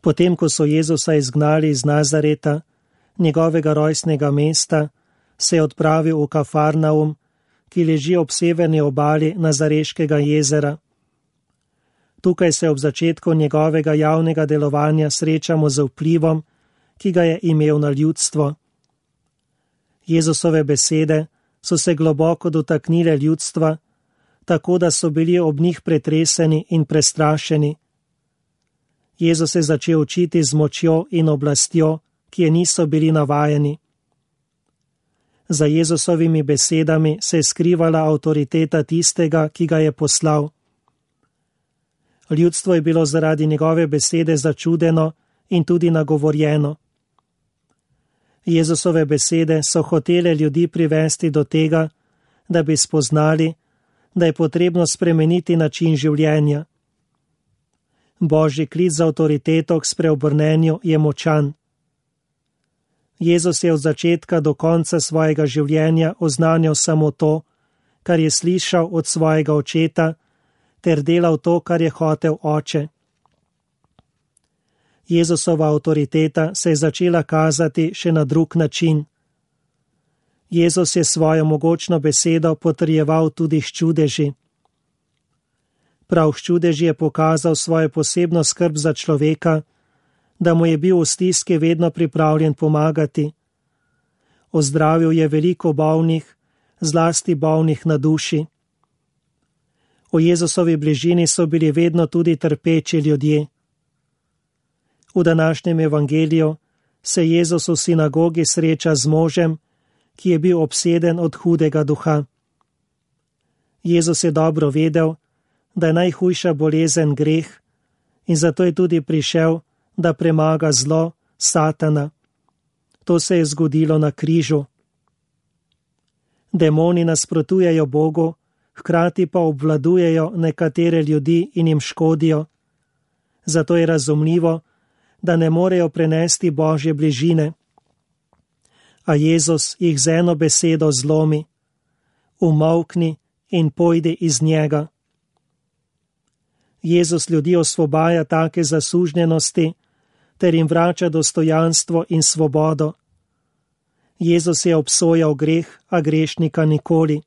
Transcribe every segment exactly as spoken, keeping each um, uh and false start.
Potem, ko so Jezusa izgnali iz Nazareta, njegovega rojstnega mesta, se je odpravil v Kafarnaum, ki leži ob severni obali Nazareškega jezera. Tukaj se ob začetku njegovega javnega delovanja srečamo z vplivom, ki ga je imel na ljudstvo. Jezusove besede so se globoko dotaknile ljudstva, tako da so bili ob njih pretreseni in prestrašeni. Jezus je začel učiti z močjo in oblastjo, ki je niso bili navajeni. Za Jezusovimi besedami se je skrivala avtoriteta tistega, ki ga je poslal. Ljudstvo je bilo zaradi njegove besede začudeno in tudi nagovorjeno. Jezusove besede so hotele ljudi privesti do tega, da bi spoznali, da je potrebno spremeniti način življenja. Božji klic za avtoriteto k spreobrnenju je močan. Jezus je od začetka do konca svojega življenja oznanjal samo to, kar je slišal od svojega očeta, ter delal to, kar je hotel oče. Jezusova avtoriteta se je začela kazati še na drug način. Jezus je svojo mogočno besedo potrjeval tudi s čudeži. Prav s čudeži je pokazal svojo posebno skrb za človeka, da mu je bil v stiski vedno pripravljen pomagati. Ozdravil je veliko bolnih, zlasti bolnih na duši. V Jezusovi bližini so bili vedno tudi trpeči ljudje. V današnjem evangeliju se Jezus v sinagogi sreča z možem, ki je bil obseden od hudega duha. Jezus je dobro vedel, da je najhujša bolezen greh, in zato je tudi prišel, da premaga zlo, Satana. To se je zgodilo na križu. Demoni nasprotujejo Bogu, hkrati pa obvladujejo nekatere ljudi in jim škodijo. Zato je razumljivo, da ne morejo prenesti Božje bližine. A Jezus jih z eno besedo zlomi: umolkni in pojdi iz njega. Jezus ljudi osvobaja take zasužnjenosti, ter jim vrača dostojanstvo in svobodo. Jezus je obsojal greh, a grešnika nikoli.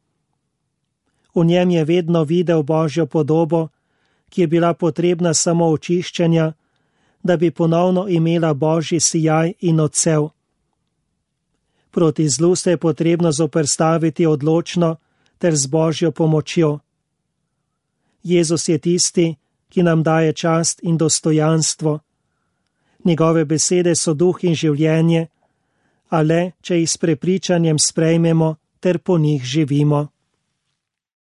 V njem je vedno videl Božjo podobo, ki je bila potrebna samo očiščenja, da bi ponovno imela Božji sijaj in odsev. Proti zlu se je potrebno zoperstaviti odločno ter z Božjo pomočjo. Jezus je tisti, ki nam daje čast in dostojanstvo. Njegove besede so duh in življenje, a le, če jih s prepričanjem sprejmemo ter po njih živimo.